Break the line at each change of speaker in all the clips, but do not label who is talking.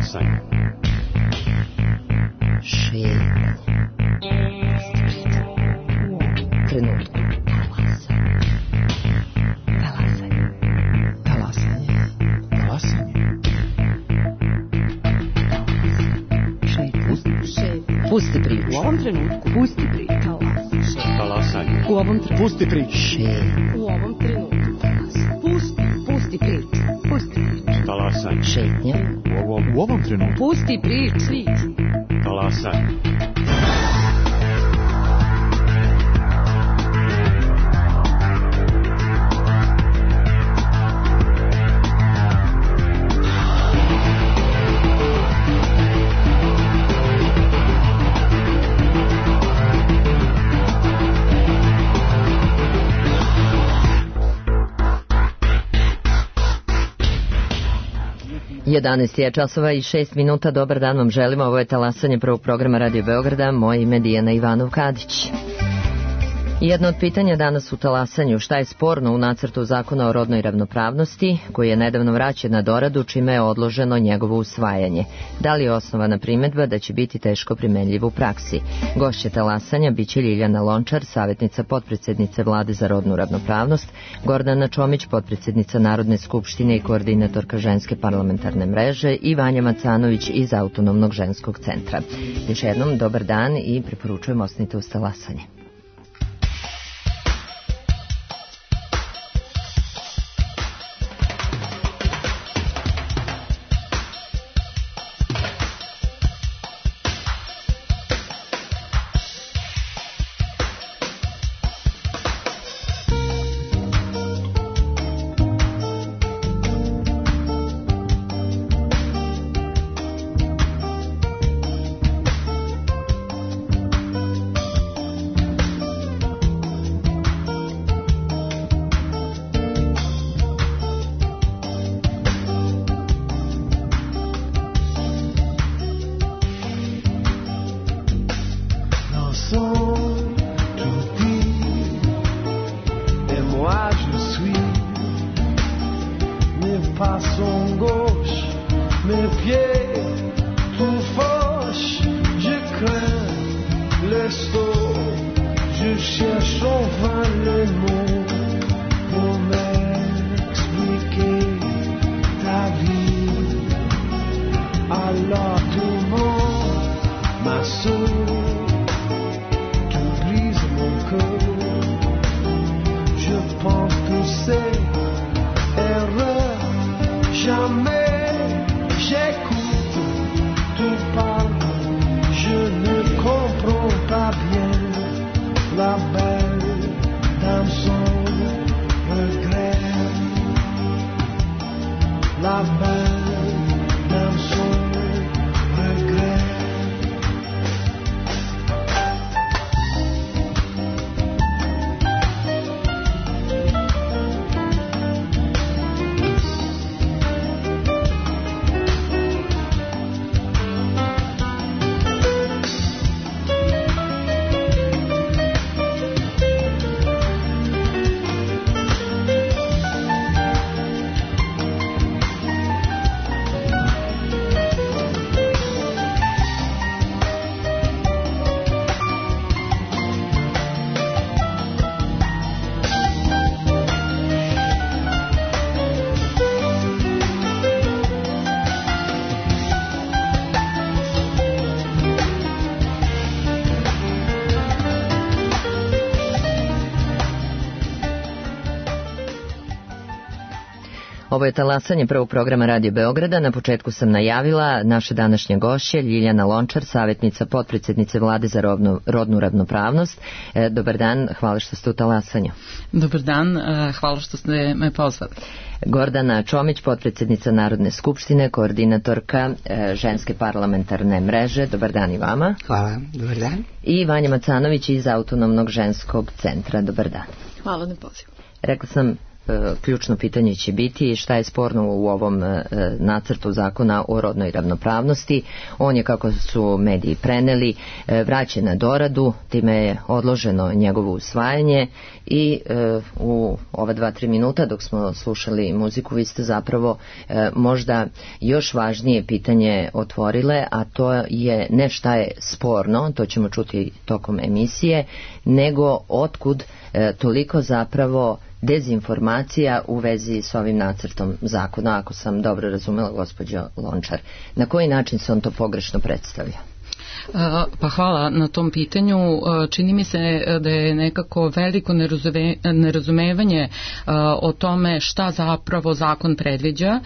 Talasanje.
Šetnja. Trenutku. Pusti priču.
U ovom trenutku. Pusti priču.
Talasanje.
U ovom trenutku.
Pusti priču.
U ovom trenutku. Pusti priču. Pusti priču.
Talasanje.
Šetnja.
U ovom trenutku.
Pusti priču.
Talasanje.
Jedanaest je časova i 6 minuta. Dobar dan vam želimo. Ovo je talasanje prvog programa Radio Beograda. Moje ime je Dijana Ivanov-Kadić. Jedno od pitanja danas u talasanju: šta je sporno u nacrtu zakona o rodnoj ravnopravnosti koji je nedavno vraćen na doradu, čime je odloženo njegovo usvajanje? Da li je osnovana primedba da će biti teško primenljiv u praksi? Gošće talasanja biće Ljiljana Lončar, savjetnica potpredsednice Vlade za rodnu ravnopravnost, Gordana Čomić, potpredsednica Narodne skupštine i koordinatorka Ženske parlamentarne mreže, i Vanja Macanović iz Autonomnog ženskog centra. Još jednom dobar dan i preporučujem ostanite uz talasanje. Ovo je talasanje prvog programa Radio Beograda. Na početku sam najavila naše današnje gošće, Ljiljana Lončar, savjetnica potpredsednice Vlade za rodnu ravnopravnost. Dobar dan, hvala što ste u talasanju.
Dobar dan, hvala što ste me pozvali.
Gordana Čomić, potpredsednica Narodne skupštine, koordinatorka Ženske parlamentarne mreže. Dobar dan i vama.
Hvala, dobar dan.
I Vanja Macanović iz Autonomnog ženskog centra. Dobar dan.
Hvala na pozivu.
Rekla sam ključno pitanje će biti šta je sporno u ovom nacrtu zakona o rodnoj ravnopravnosti. On je, kako su mediji preneli, vraćen na doradu, time je odloženo njegovo usvajanje i u ova 2-3 minuta dok smo slušali muziku vi ste zapravo možda još važnije pitanje otvorile, a to je ne šta je sporno, to ćemo čuti tokom emisije, nego otkud toliko zapravo dezinformacija u vezi s ovim nacrtom zakona, ako sam dobro razumela, gospođo Lončar. Na koji način se on to pogrešno predstavlja?
Pa hvala na tom pitanju. Čini mi se da je nekako veliko nerazumevanje o tome šta zapravo zakon predviđa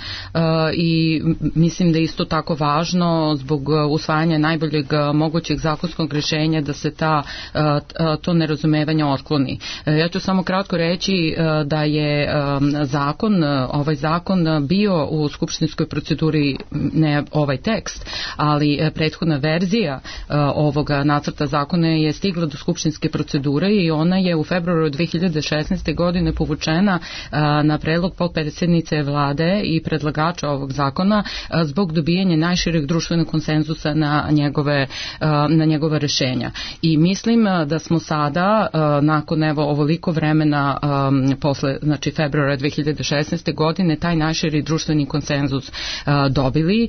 i mislim da je isto tako važno zbog usvajanja najboljeg mogućeg zakonskog rješenja da se to nerazumevanje otkloni. Ja ću samo kratko reći da je ovaj zakon bio u skupštinskoj proceduri, ne ovaj tekst, ali prethodna verzija ovoga nacrta zakona je stigla do skupštinske procedure i ona je u februaru 2016. godine povučena na predlog potpredsjednice vlade i predlagača ovog zakona zbog dobijanja najšireg društvenog konsenzusa na njegove rešenja. I mislim da smo sada, nakon ovoliko vremena posle, znači februara 2016. godine, taj najširi društveni konsenzus dobili.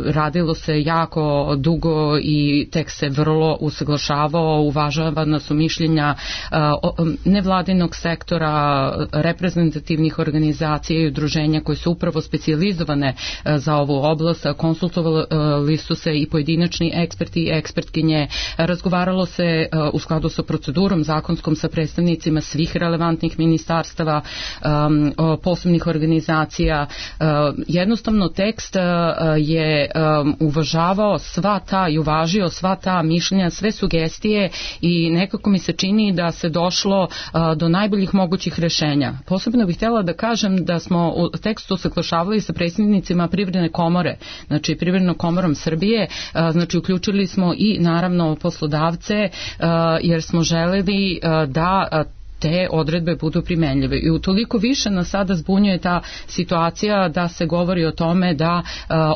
Radilo se jako dugo i tekst se vrlo usaglašavao, uvažavana su mišljenja nevladinog sektora, reprezentativnih organizacija i udruženja koje su upravo specijalizovane za ovu oblast, konsultovali su se i pojedinačni eksperti i ekspertkinje, razgovaralo se u skladu sa procedurom zakonskom sa predstavnicima svih relevantnih ministarstava, posebnih organizacija. Jednostavno tekst je uvažavao i uvažio sva ta mišljenja, sve sugestije i nekako mi se čini da se došlo do najboljih mogućih rešenja. Posebno bih htjela da kažem da smo u tekstu usaglašavali sa predstavnicima Privredne komore, znači Privrednom komorom Srbije, znači uključili smo i naravno poslodavce jer smo želeli da te odredbe budu primenljive. I utoliko više nas sada zbunjuje ta situacija da se govori o tome da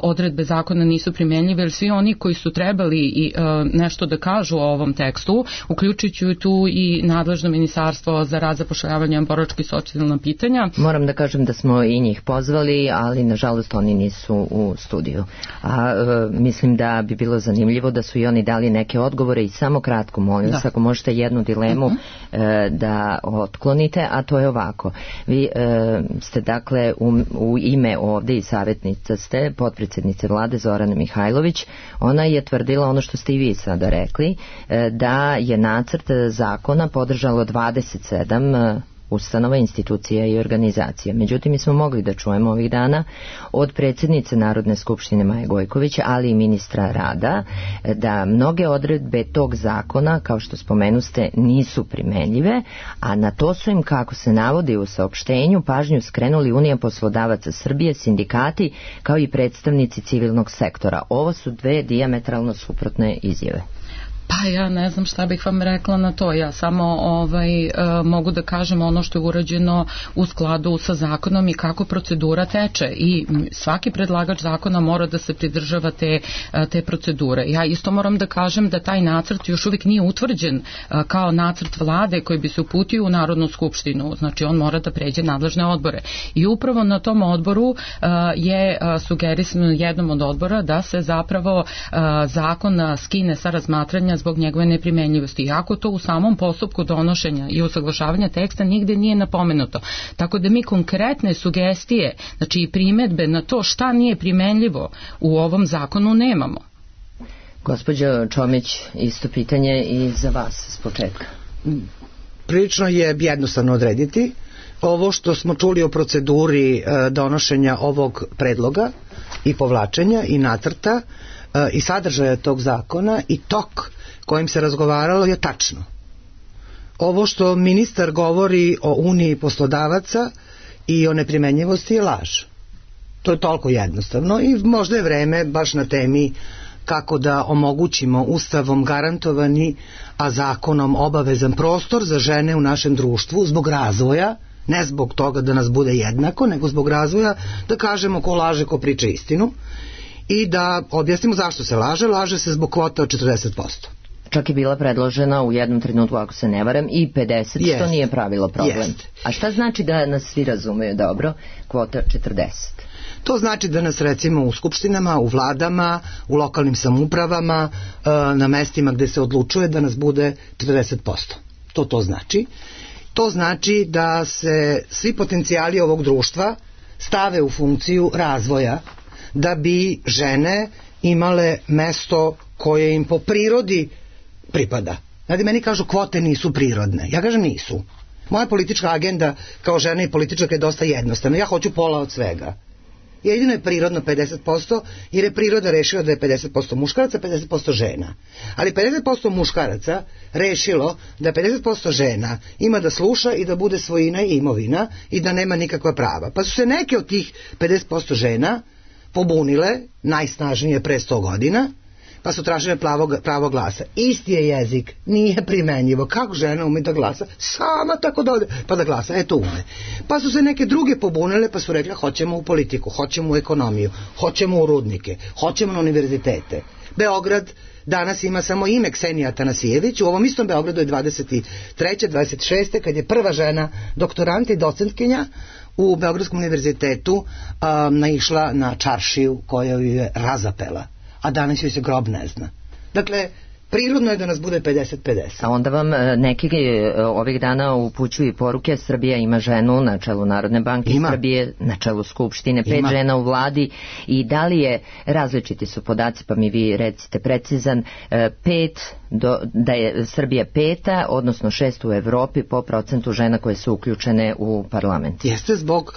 odredbe zakona nisu primenljive, jer svi oni koji su trebali nešto da kažu o ovom tekstu, uključujući tu i nadležno ministarstvo za rad, zapošljavanje, boračka i socijalna pitanja.
Moram da kažem da smo i njih pozvali, ali nažalost oni nisu u studiju. Mislim da bi bilo zanimljivo da su i oni dali neke odgovore i samo kratko, molim vas, ako možete jednu dilemu da otklonite, a to je ovako. Vi ste dakle u ime ovde i savjetnica ste potpredsjednice vlade Zorane Mihajlović. Ona je tvrdila ono što ste i vi sada rekli, da je nacrt zakona podržalo 27 ustanova, institucija i organizacija. Međutim, mi smo mogli da čujemo ovih dana od predsjednice Narodne skupštine Maje Gojković, ali i ministra rada, da mnoge odredbe tog zakona, kao što spomenuste, nisu primenljive, a na to su im, kako se navodi u saopštenju, pažnju skrenuli Unija poslodavaca Srbije, sindikati, kao i predstavnici civilnog sektora. Ovo su dve dijametralno suprotne izjave.
Pa ja ne znam šta bih vam rekla na to. Ja samo mogu da kažem ono što je urađeno u skladu sa zakonom i kako procedura teče. I svaki predlagač zakona mora da se pridržava te procedure. Ja isto moram da kažem da taj nacrt još uvijek nije utvrđen kao nacrt vlade koji bi se uputio u Narodnu skupštinu. Znači on mora da pređe nadležne odbore. I upravo na tom odboru je sugerisano jednom od odbora da se zapravo zakon skine sa razmatranja zbog njegove neprimenljivosti. Iako to u samom postupku donošenja i usaglašavanja teksta nigde nije napomenuto. Tako da mi konkretne sugestije, znači i primedbe na to šta nije primenljivo u ovom zakonu nemamo.
Gospođo Čomić, isto pitanje i za vas s početka.
Prilično je jednostavno odrediti. Ovo što smo čuli o proceduri donošenja ovog predloga i povlačenja i nacrta i sadržaja tog zakona i tok kojim se razgovaralo je tačno. Ovo što ministar govori o Uniji poslodavaca i o neprimenjivosti je laž. To je toliko jednostavno i možda je vreme baš na temi kako da omogućimo ustavom garantovani, a zakonom obavezan prostor za žene u našem društvu zbog razvoja Ne zbog toga da nas bude jednako, nego zbog razvoja, da kažemo ko laže, ko priča istinu i da objasnimo zašto se laže. Laže se zbog kvota od 40%.
Čak je bila predložena u jednom trenutku, ako se ne varam, i 50, što nije pravilo problem. A šta znači da nas svi razumeju dobro, kvota 40?
To znači da nas recimo u skupštinama, u vladama, u lokalnim samoupravama, na mestima gde se odlučuje da nas bude 40%. To znači. To znači da se svi potencijali ovog društva stave u funkciju razvoja, da bi žene imale mesto koje im po prirodi pripada. Znate, meni kažu kvote nisu prirodne. Ja kažem nisu. Moja politička agenda kao žena i političarka je dosta jednostavna. Ja hoću pola od svega. Jedino je prirodno 50%, jer je priroda rešila da je 50% muškaraca, 50% žena. Ali 50% muškaraca rešilo da 50% žena ima da sluša i da bude svojina i imovina i da nema nikakva prava. Pa su se neke od tih 50% žena pobunile, najsnažnije pre 100 godina, pa su tražile pravo glasa. Isti je jezik, nije primenjivo. Kako žena ume da glasa? Sama tako da ode, pa da glasa, eto ume. Pa su se neke druge pobunile, pa su rekli hoćemo u politiku, hoćemo u ekonomiju, hoćemo u rudnike, hoćemo na univerzitete. Beograd danas ima samo ime Ksenija Atanasijević, u ovom istom Beogradu je 23. 26. kad je prva žena doktorant i docentkinja u Beogradskom univerzitetu naišla na čaršiju koja ju je razapela, a danas joj se grob ne zna. Dakle, prirodno je da nas bude 50-50.
A onda vam neki ovih dana upućuju poruke, Srbija ima ženu na čelu Narodne banke, Srbije na čelu Skupštine, 5 žena u vladi, i da li je, različiti su podaci, pa mi vi recite precizan, 5, da je Srbija 5, odnosno 6 u Evropi po procentu žena koje su uključene u parlament.
Jeste zbog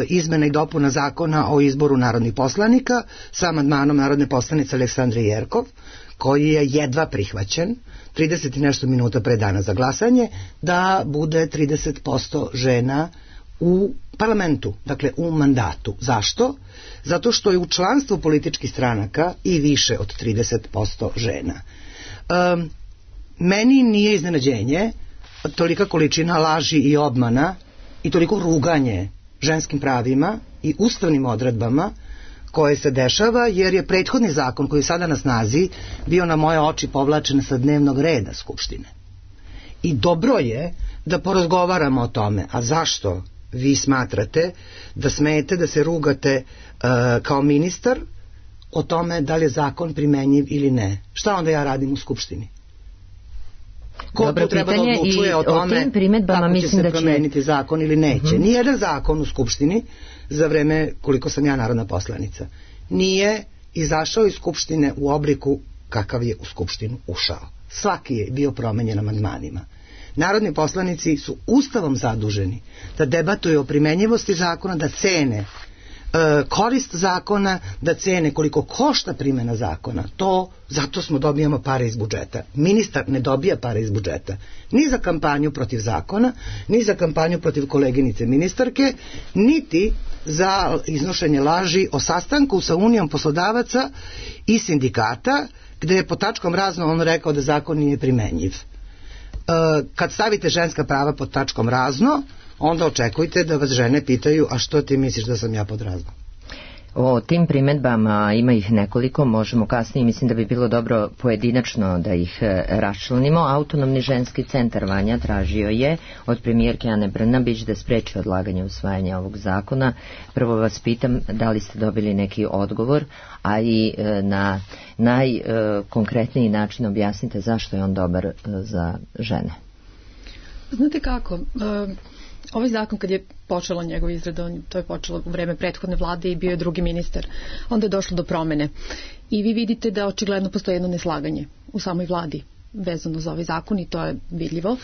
izmena i dopuna zakona o izboru narodnih poslanika sa amandmanom narodne poslanice Aleksandre Jerkov, koji je jedva prihvaćen 30 i nešto minuta pre dana za glasanje, da bude 30% žena u parlamentu, dakle u mandatu. Zašto? Zato što je u članstvu političkih stranaka i više od 30% žena. Meni nije iznenađenje tolika količina laži i obmana i toliko ruganje ženskim pravima i ustavnim odredbama koje se dešava, jer je prethodni zakon koji je sada na snazi bio na moje oči povlačen sa dnevnog reda Skupštine. I dobro je da porazgovaramo o tome. A zašto vi smatrate da smete da se rugate kao ministar o tome da li je zakon primenjiv ili ne? Šta onda ja radim u Skupštini? Ko tu treba da odlučuje o tome kako će se promeniti zakon ili neće? Nijedan zakon u Skupštini za vreme koliko sam ja narodna poslanica nije izašao iz Skupštine u obliku kakav je u Skupštinu ušao. Svaki je bio promenjen amandmanima. Narodni poslanici su ustavom zaduženi da debatuju o primenjivosti zakona, da cene korist zakona, da cene koliko košta primjena zakona. Zato smo dobijamo pare iz budžeta. Ministar ne dobija pare iz budžeta ni za kampanju protiv zakona, ni za kampanju protiv koleginice ministarke, niti za iznošenje laži o sastanku sa Unijom poslodavaca i sindikata, gde je po tačkom razno on rekao da zakon nije primenjiv. Kad stavite ženska prava pod tačkom razno, onda očekujte da vas žene pitaju, a što ti misliš da sam ja pod razno?
O tim primedbama ima ih nekoliko, možemo kasnije, mislim da bi bilo dobro pojedinačno da ih raščlanimo. Autonomni ženski centar Vanja tražio je od premijerke Ane Brnabić da spreči odlaganje usvajanja ovog zakona. Prvo vas pitam da li ste dobili neki odgovor, a i na najkonkretniji način objasnite zašto je on dobar za žene.
Znate kako, ovaj zakon kad je počela njegova izrada, to je počelo u vreme prethodne vlade i bio je drugi ministar, onda je došlo do promene. I vi vidite da očigledno postoji jedno neslaganje u samoj vladi vezano za ovaj zakon i to je vidljivo.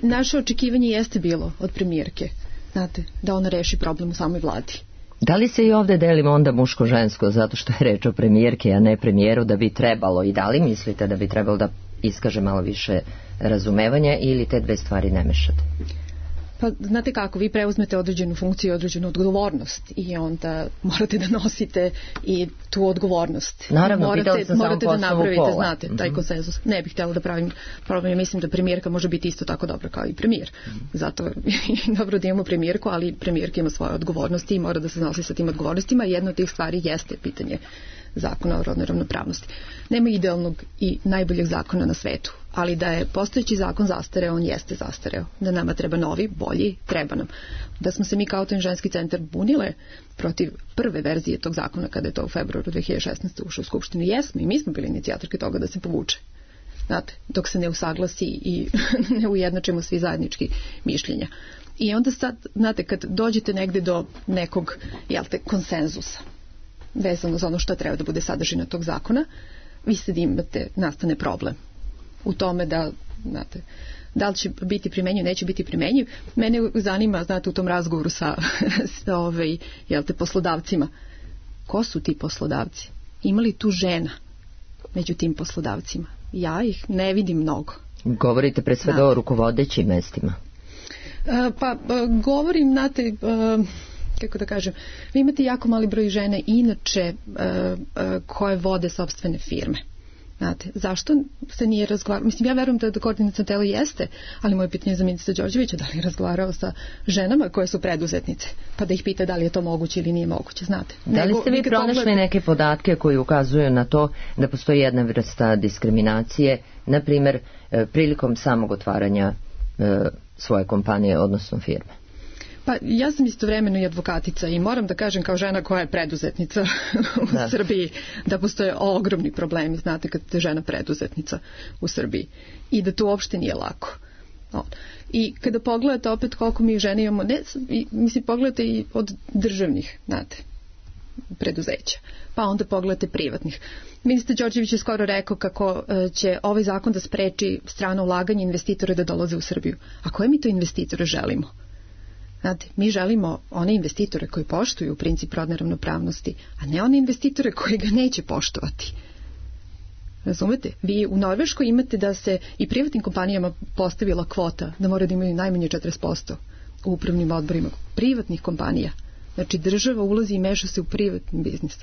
I naše očekivanje jeste bilo od premijerke, znate, da ona reši problem u samoj vladi.
Da li se i ovde delimo onda muško-žensko zato što je reč o premijerke, a ne premijeru, da bi trebalo, i da li mislite da bi trebalo da iskaže malo više razumevanja ili te dve stvari ne mešate?
Pa znate kako, vi preuzmete određenu funkciju i određenu odgovornost i onda morate da nosite i tu odgovornost.
Naravno, pitala sam
morate
samo
da napravite, znate, taj konsenzus. Ne bih htjela da pravim problem, mislim da premijerka može biti isto tako dobra kao i premijer. Zato je dobro da imamo premijerku, ali premijerka ima svoje odgovornosti i mora da se nosi sa tim odgovornostima. Jedna od tih stvari jeste pitanje zakona o rodnoj ravnopravnosti. Nema idealnog i najboljeg zakona na svetu, ali da je postojeći zakon zastareo, on jeste zastareo. Da nama treba novi, bolji, treba nam. Da smo se mi kao Autonomni ženski centar bunile protiv prve verzije tog zakona kada je to u februaru 2016. ušao u Skupštinu, jesmo i mi smo bili inicijatorke toga da se povuče. Znate, dok se ne usaglasi i ne ujednačimo svi zajednički mišljenja. I onda sad, znate, kad dođete negde do nekog, konsenzusa vezano za ono što treba da bude sadržina tog zakona, vi ste da imate, nastane problem u tome da, znate, da li će biti primenjiv, neće biti primenjiv. Mene zanima, znate, u tom razgovoru sa poslodavcima, ko su ti poslodavci? Ima li tu žena među tim poslodavcima? Ja ih ne vidim mnogo.
Govorite pre svega o rukovodećim mestima.
Govorim, znate, kako da kažem, vi imate jako mali broj žene inače koje vode sopstvene firme. Znate, zašto se nije razgovarao? Mislim, ja verujem da koordinaciono telo jeste, ali moje pitanje za ministra Đorđevića, da li je razgovarao sa ženama koje su preduzetnice, pa da ih pita da li je to moguće ili nije moguće, znate.
Da li ste vi pronašli neke podatke koji ukazuju na to da postoji jedna vrsta diskriminacije, na primjer, prilikom samog otvaranja svoje kompanije, odnosno firme?
Pa ja sam istovremeno i advokatica i moram da kažem kao žena koja je preduzetnica u Srbiji da postoje ogromni problemi, znate, kad ste žena preduzetnica u Srbiji i da to uopšte nije lako. I kada pogledate opet koliko mi žene imamo, mislim, pogledate i od državnih, znate, preduzeća, pa onda pogledate privatnih. Ministar Đorđević je skoro rekao kako će ovaj zakon da spreči strano ulaganje investitore da dolaze u Srbiju. A koje mi to investitore želimo? Znate, mi želimo one investitore koji poštuju princip rodne ravnopravnosti, a ne one investitore koji ga neće poštovati. Razumete? Vi u Norveškoj imate da se i privatnim kompanijama postavila kvota da moraju da imaju najmanje 40% u upravnim odborima privatnih kompanija. Znači država ulazi i meša se u privatni biznis.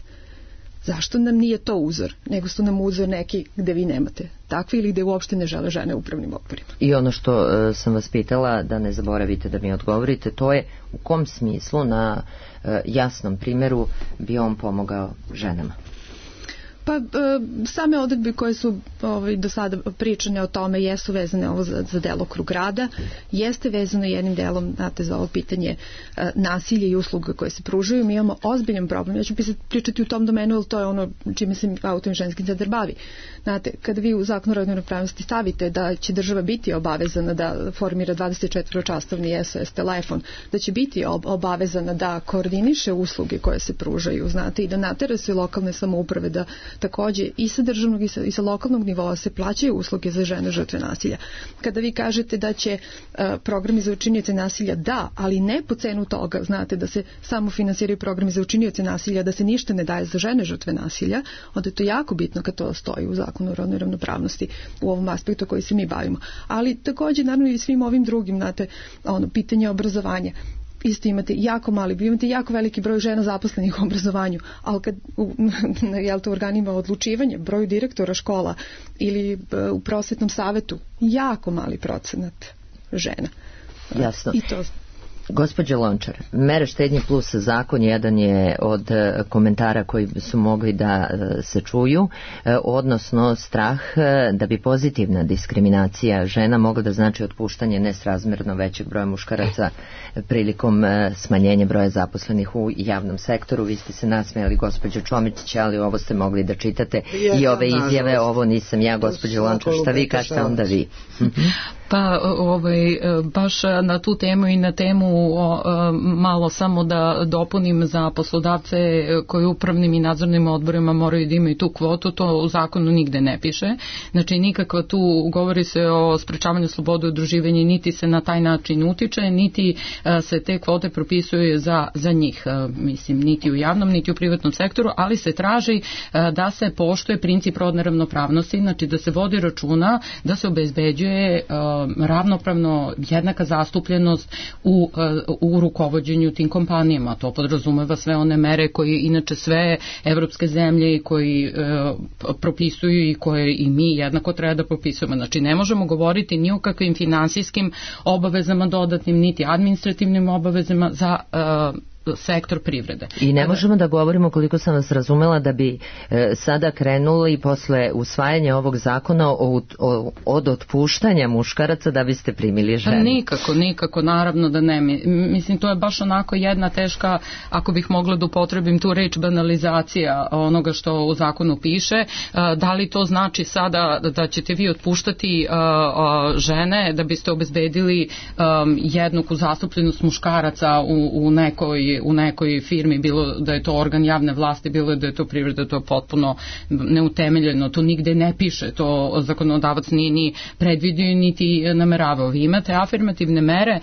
Zašto nam nije to uzor, nego su nam uzor neki gde vi nemate takvi ili gde uopšte ne žele žene u upravnim odborima.
I ono što sam vas pitala, da ne zaboravite da mi odgovorite, to je u kom smislu na jasnom primjeru bi on pomogao ženama?
Pa same odredbe koje su do sada pričane o tome jesu vezane ovo za delokrug rada, jeste vezano jednim delom, znate, za ovo pitanje nasilja i usluga koje se pružaju. Mi imamo ozbiljan problem, ja ću pričati u tom domenu, ali to je ono čime se Autonomni ženski centar bavi. Znate, kada vi u Zakonu o rodnoj ravnopravnosti stavite da će država biti obavezana da formira 24-časovni SOS telefon, da će biti obavezana da koordiniše usluge koje se pružaju, znate, i da natera se lokalne samouprave da takođe i sa državnog i sa lokalnog nivoa se plaćaju usluge za žene žrtve nasilja. Kada vi kažete da će programi za učinioce nasilja, da, ali ne po cenu toga, znate, da se samo finansiraju programi za učinioce nasilja, da se ništa ne daje za žene žrtve nasilja, onda je to jako bitno kad to stoji u Zakonu o rodnoj ravnopravnosti u ovom aspektu koji se mi bavimo. Ali takođe, naravno, i svim ovim drugim, znate, pitanje obrazovanja. Isto imate jako mali, imate jako veliki broj žena zaposlenih u obrazovanju, ali kad u organima odlučivanja, broju direktora škola ili u prosvetnom savetu, jako mali procenat žena.
Jasno.
I to...
Gospođo Lončar, mere štednje plus zakon jedan je od komentara koji su mogli da se čuju, odnosno strah da bi pozitivna diskriminacija žena mogla da znači otpuštanje nesrazmjerno većeg broja muškaraca prilikom smanjenja broja zaposlenih u javnom sektoru. Vi ste se nasmejali, gospođo Čomić, ali ovo ste mogli da čitate i ove izjave, ovo nisam ja, gospođo Lončar, šta vi kažete onda vi?
Pa baš na tu temu i na temu malo samo da dopunim za poslodavce koji upravnim i nadzornim odborima moraju da imaju tu kvotu, to u zakonu nigde ne piše. Znači nikakva tu govori se o sprečavanju slobode udruživanja, niti se na taj način utiče, niti se te kvote propisuju za njih, mislim, niti u javnom, niti u privatnom sektoru, ali se traži da se poštuje princip rodne ravnopravnosti, znači da se vodi računa, da se obezbeđuje ravnopravno jednaka zastupljenost u rukovođenju tim kompanijama. To podrazumeva sve one mere koje inače sve evropske zemlje koji propisuju i koje i mi jednako treba da propisujemo. Znači ne možemo govoriti ni o kakvim finansijskim obavezama dodatnim, niti administrativnim obavezama za sektor privrede.
I ne možemo da govorimo, koliko sam vas razumela, da bi sada krenuli posle usvajanja ovog zakona od otpuštanja muškaraca da biste primili žene.
Nikako, naravno da ne. Mislim, to je baš onako jedna teška, ako bih mogla da upotrebim tu reč, banalizacija onoga što u zakonu piše. Da li to znači sada da ćete vi otpuštati žene da biste obezbedili jednaku zastupljenost muškaraca u nekoj firmi, bilo da je to organ javne vlasti, bilo da je to privreda, to je potpuno neutemeljeno, to nigde ne piše, to zakonodavac nije ni predvidio niti nameravao. Vi imate afirmativne mere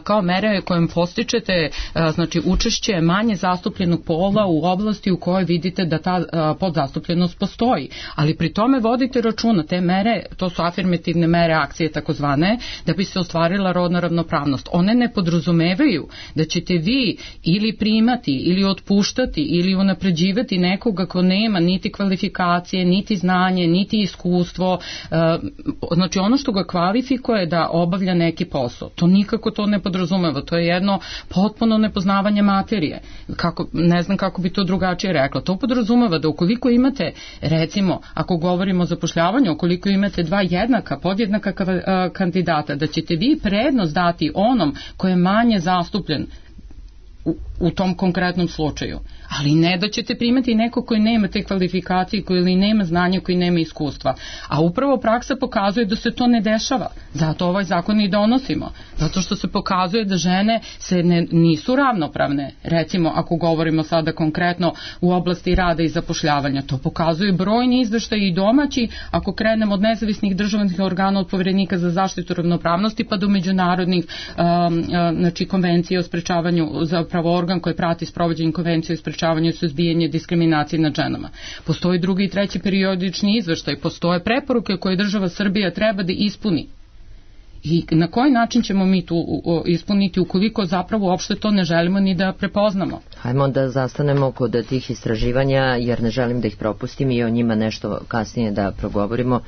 kao mere kojim postičete znači učešće manje zastupljenog pola u oblasti u kojoj vidite da ta podzastupljenost postoji, ali pri tome vodite računa, te mere, to su afirmativne mere akcije takozvane, da bi se ostvarila rodna ravnopravnost. One ne podrazumevaju da ćete vi ili primati, ili otpuštati, ili unapređivati nekoga ko nema niti kvalifikacije, niti znanje, niti iskustvo. Znači ono što ga kvalifikuje da obavlja neki posao. To nikako to ne podrazumeva. To je jedno potpuno nepoznavanje materije. Ne znam kako bi to drugačije rekla. To podrazumeva da ukoliko imate, recimo, ako govorimo o zapošljavanju, ukoliko imate dva podjednaka kandidata, da ćete vi prednost dati onom koji je manje zastupljen u tom konkretnom slučaju. Ali ne da ćete primati neko koji nema te kvalifikacije, koji ili nema znanja, koji nema iskustva. A upravo praksa pokazuje da se to ne dešava. Zato ovaj zakon i donosimo. Zato što se pokazuje da žene nisu ravnopravne. Recimo, ako govorimo sada konkretno u oblasti rada i zapošljavanja, to pokazuju brojni izveštaji i domaći, ako krenemo od nezavisnih državnih organa, od Poverenika za zaštitu ravnopravnosti pa do međunarodnih znači konvencije o sprečavanju, zapravo organ koji prati sprovođenje konvencije o sprečavanju i suzbijanju diskriminacije nad ženama. Postoji drugi i treći periodični izveštaj, postoje preporuke koje država Srbija treba da ispuni. I na koji način ćemo mi tu ispuniti ukoliko zapravo uopšte to ne želimo ni da prepoznamo?
Hajmo da zastanemo kod tih istraživanja, jer ne želim da ih propustim i o njima nešto kasnije da progovorimo.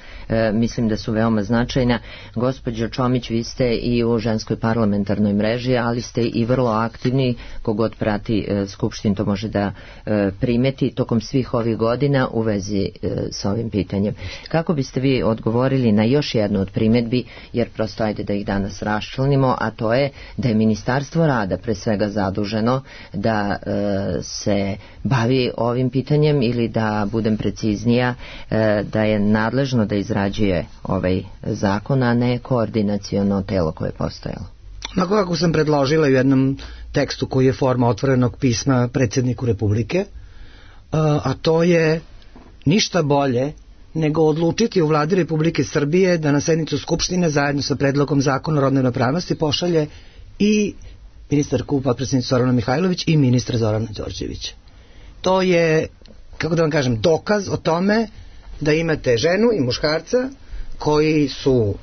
Mislim da su veoma značajna. Gospođo Čomić, vi ste i u ženskoj parlamentarnoj mreži, ali ste i vrlo aktivni, kogod prati Skupštinu to može da primeti tokom svih ovih godina u vezi sa ovim pitanjem. Kako biste vi odgovorili na još jednu od primedbi, jer prosto ajde da ih danas raščlanimo, a to je da je Ministarstvo rada pre svega zaduženo da se bavi ovim pitanjem, ili da budem preciznija, da je nadležno da izrađuje ovaj zakon, a ne koordinaciono telo koje je postojalo.
Onako kako sam predložila u jednom tekstu koji je forma otvorenog pisma predsjedniku Republike, a to je ništa bolje nego odlučiti u vladi Republike Srbije da na sednicu Skupštine zajedno sa predlogom zakona o rodnoj ravnopravnosti pošalje i ministarku, potpredsednicu Zorana Mihajlović i ministra Zorana Đorđevića. To je, kako da vam kažem, dokaz o tome da imate ženu i muškarca koji su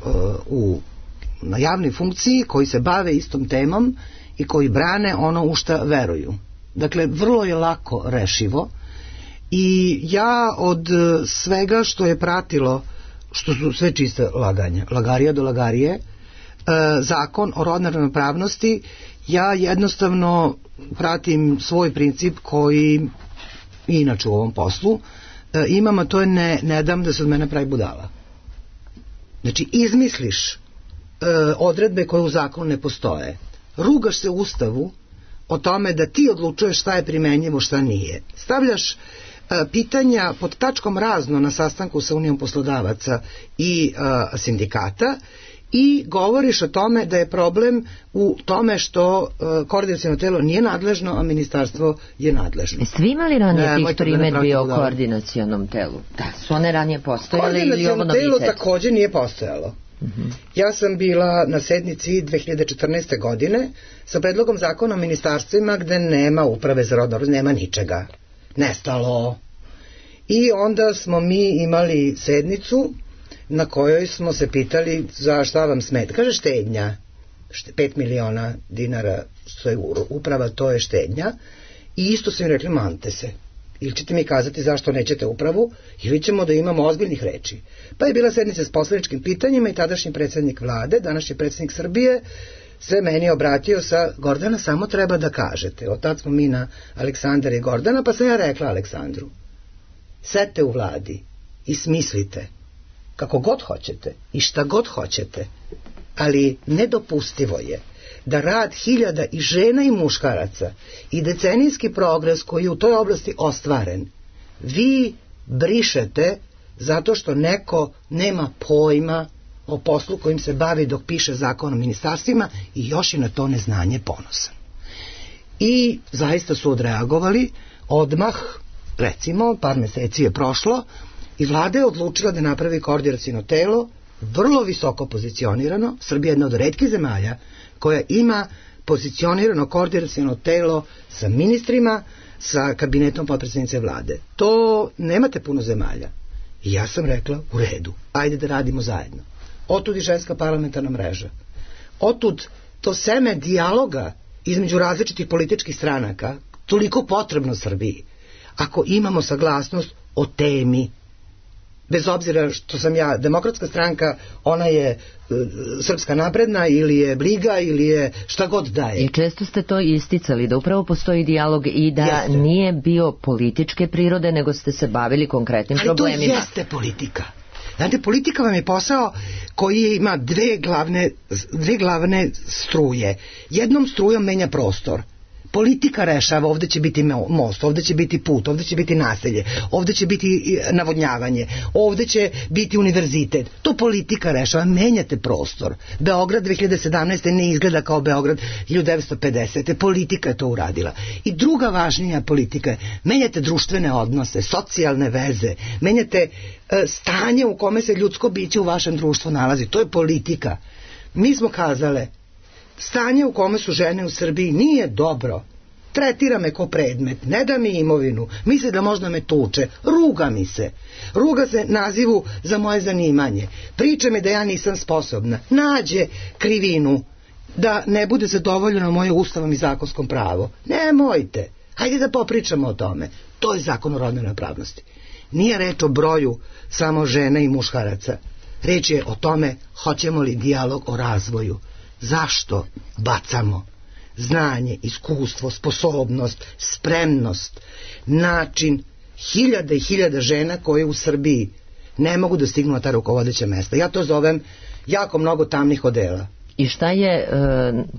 na javnoj funkciji, koji se bave istom temom i koji brane ono u šta veruju. Dakle, vrlo je lako rešivo. I ja od svega što je pratilo, što su sve čiste laganja, lagarija do lagarije, zakon o rodnoj ravnopravnosti, ja jednostavno pratim svoj princip koji inače u ovom poslu imam, a to je ne dam da se od mene pravi budala. Znači, izmisliš odredbe koje u zakonu ne postoje, rugaš se u Ustavu o tome da ti odlučuješ šta je primenjivo, šta nije, stavljaš pitanja pod tačkom razno na sastanku sa Unijom poslodavaca i sindikata i govoriš o tome da je problem u tome što koordinaciono telo nije nadležno, a ministarstvo je nadležno.
Jeste vi imali ranije tih primedbi o koordinacionom telu? Da, su one ranije postojale ili ovo novitet?
Koordinaciono telo takođe nije postojalo. Ja sam bila na sednici 2014. godine sa predlogom zakona o ministarstvima gde nema uprave za rodno, nema ničega. Nestalo. I onda smo mi imali sednicu na kojoj smo se pitali za šta vam smeta. Kaže štednja. 5 miliona dinara što je uprava, to je štednja. I isto su im rekli, mante se. Ili ćete mi kazati zašto nećete upravu, ili ćemo da imamo ozbiljnih reči. Pa je bila sednica s poslaničkim pitanjima i tadašnji predsjednik vlade, današnji predsjednik Srbije, se meni obratio sa Gordana, samo treba da kažete. Od tad smo mi na Aleksandar i Gordana, pa sam ja rekla Aleksandru, sedite u vladi i smislite kako god hoćete i šta god hoćete, ali nedopustivo je da rad hiljada i žena i muškaraca i decenijski progres koji je u toj oblasti ostvaren, vi brišete zato što neko nema pojma o poslu kojim se bavi dok piše zakon o ministarstvima i još je na to neznanje ponosan. I zaista su odreagovali odmah, recimo, par meseci je prošlo i vlada je odlučila da napravi koordinaciono telo, vrlo visoko pozicionirano. Srbija je jedna od retkih zemalja koja ima pozicionirano koordinaciono telo sa ministrima, sa kabinetom potpredsjednice vlade. To nemate puno zemalja. I ja sam rekla, u redu, ajde da radimo zajedno. Otud i ženska parlamentarna mreža. Otud to seme dijaloga između različitih političkih stranaka, toliko potrebno Srbiji, ako imamo saglasnost o temi. Bez obzira što sam ja demokratska stranka, ona je srpska napredna ili je briga ili je šta god da je.
I često ste to isticali, da upravo postoji dijalog i da nije bio političke prirode, nego ste se bavili konkretnim problemima.
Ali to jeste politika. Znate, politika vam je posao koji ima dve glavne struje. Jednom strujom menja prostor. Politika rešava, ovde će biti most, ovde će biti put, ovde će biti naselje, ovde će biti navodnjavanje, ovde će biti univerzitet. To politika rešava, menjate prostor. Beograd 2017. ne izgleda kao Beograd 1950. Politika je to uradila. I druga važnija politika je, menjate društvene odnose, socijalne veze, menjate stanje u kome se ljudsko biće u vašem društvu nalazi. To je politika. Mi smo kazale, stanje u kome su žene u Srbiji nije dobro. Tretira me ko predmet, ne da mi imovinu, misli da možda me tuče, ruga mi se. Ruga se nazivu za moje zanimanje. Priča mi da ja nisam sposobna. Nađe krivinu da ne bude zadovoljeno moje ustavom i zakonskom pravo. Nemojte. Hajde da popričamo o tome. To je zakon o rodnoj ravnopravnosti. Nije reč o broju samo žena i muškaraca. Reč je o tome hoćemo li dijalog o razvoju. Zašto bacamo znanje, iskustvo, sposobnost, spremnost, način hiljada i hiljada žena koje u Srbiji ne mogu da stignu na ta rukovodeća mesta. Ja to zovem jako mnogo tamnih odela.
I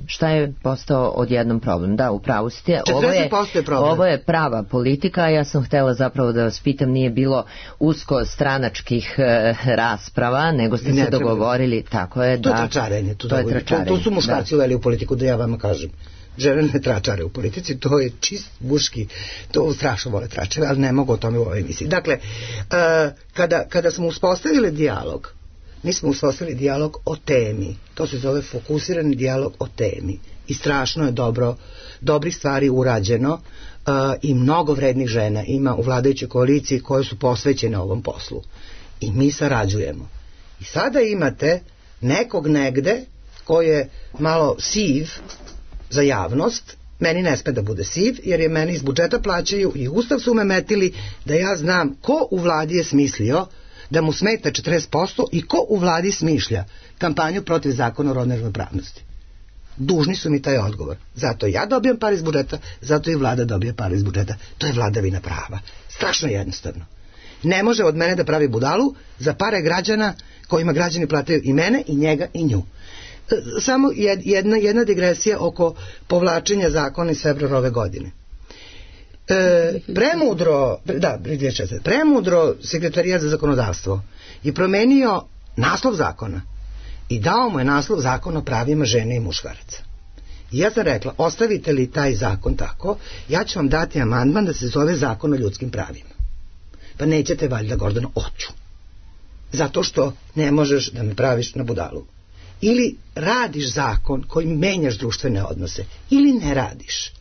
šta je postao odjednom problem? Da, upravo ste. Ovo je prava politika, ja sam htela zapravo da vas pitam, nije bilo usko stranačkih rasprava, nego ste se dogovorili, tako je, da.
To je tračarenje. To su muškarci uveli u politiku, da ja vama kažem. Žene ne tračare u politici, to je čist muški, to strašno vole tračare, ali ne mogu o tome u ovoj emisiji. Dakle, kada smo uspostavili dijalog, mi smo uspostavili dijalog o temi. To se zove fokusirani dijalog o temi. I strašno je dobrih stvari urađeno i mnogo vrednih žena ima u vladajućoj koaliciji koje su posvećene ovom poslu. I mi sarađujemo. I sada imate nekog negde ko je malo siv za javnost. Meni ne sme da bude siv, jer je meni iz budžeta plaćaju i Ustav su me metili da ja znam ko u vladi je smislio da mu smeta 40% i ko u vladi smišlja kampanju protiv zakona o rodnoj ravnopravnosti. Dužni su mi taj odgovor. Zato ja dobijam par iz budžeta, zato i vlada dobije par iz budžeta. To je vladavina prava. Strašno jednostavno. Ne može od mene da pravi budalu za pare građana kojima građani plataju i mene, i njega, i nju. Samo jedna digresija oko povlačenja zakona iz februara ove godine. Premudro Sekretarijat za zakonodavstvo je promenio naslov zakona i dao mu je naslov Zakon o pravima žene i muškaraca. I ja sam rekla, ostavite li taj zakon tako, ja ću vam dati amandman da se zove Zakon o ljudskim pravima. Pa nećete valjda, Gordano, oću. Zato što ne možeš da me praviš na budalu. Ili radiš zakon koji menjaš društvene odnose, ili ne radiš.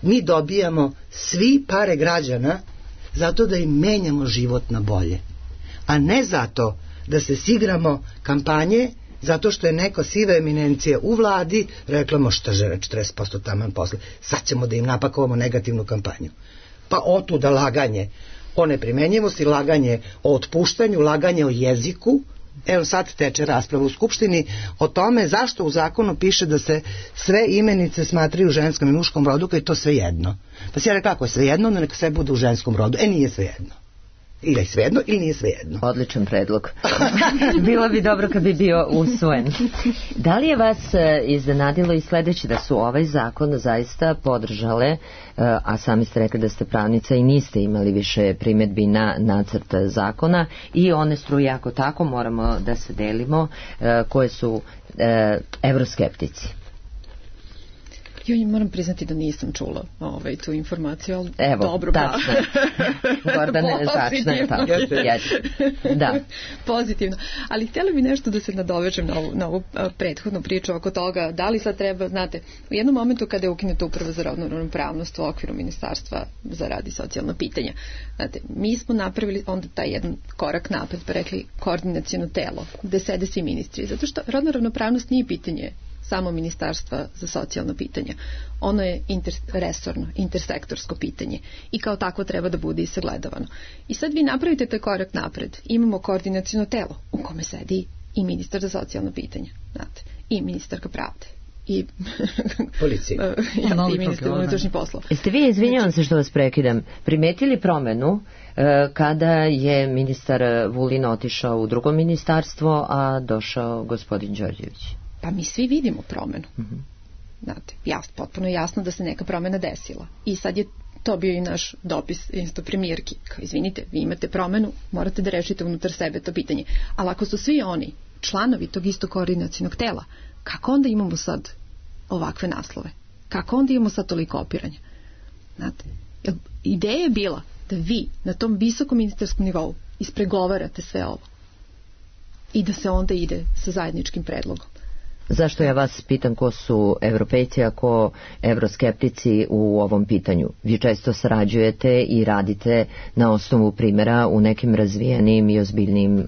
Mi dobijamo svi pare građana zato da im menjamo život na bolje. A ne zato da se sigramo kampanje, zato što je neka siva eminencija u vladi rekla, možda žele 40% taman posle, sad ćemo da im napakovamo negativnu kampanju. Pa otuda laganje o neprimenjivosti, laganje o otpuštanju, laganje o jeziku. Evo sad teče rasprava u Skupštini o tome zašto u zakonu piše da se sve imenice smatraju u ženskom i muškom rodu, kad je to sve jedno. Pa si ja rekla, ako je sve jedno, onda neka sve bude u ženskom rodu. Nije sve jedno. Ili je svejedno ili nije svejedno.
Odličan predlog. Bilo bi dobro kad bi bio usvojen. Da li je vas iznenadilo i sledeće da su ovaj zakon zaista podržale, a sami ste rekli da ste pravnica i niste imali više primedbi na nacrt zakona, i one struje, ako tako moramo da se delimo, koje su evroskeptici?
Ja moram priznati da nisam čula tu informaciju, ali
evo,
dobro.
Tačno. Gordane, tačno je tako. Da.
Pozitivno. Ali htjela bi nešto da se nadovežem na ovu prethodnu priču oko toga, da li sad treba, znate, u jednom momentu kada je ukinuta Uprava za rodnu ravnopravnost u okviru Ministarstva za rad i socijalna pitanja, znate, mi smo napravili onda taj jedan korak napred, pa rekli koordinaciono telo, gde sede svi ministri, zato što rodna ravnopravnost nije pitanje samo Ministarstva za socijalna pitanja. Ono je interresorno, intersektorsko pitanje i kao takvo treba da bude i sagledavano. I sad vi napravite taj korak napred. Imamo koordinaciono telo u kome sedi i ministar za socijalna pitanja, znate, i ministarka pravde i
policija
i ministar unutrašnjih poslova.
Jeste vi, izvinjavam se što vas prekidam, primetili promenu kada je ministar Vulin otišao u drugo ministarstvo, a došao gospodin Đorđević?
Pa mi svi vidimo promenu. Znate, potpuno jasno da se neka promena desila. I sad je to bio i naš dopis isto premijerki. Kao, izvinite, vi imate promenu, morate da rešite unutar sebe to pitanje. Ali ako su svi oni članovi tog istog koordinacionog tela, kako onda imamo sad ovakve naslove? Kako onda imamo sad toliko opiranja? Znate, ideja je bila da vi na tom visokom ministarskom nivou ispregovarate sve ovo i da se onda ide sa zajedničkim predlogom.
Zašto ja vas pitam ko su evropejci, a ko evroskeptici u ovom pitanju? Vi često sarađujete i radite na osnovu primjera u nekim razvijenim i ozbiljnim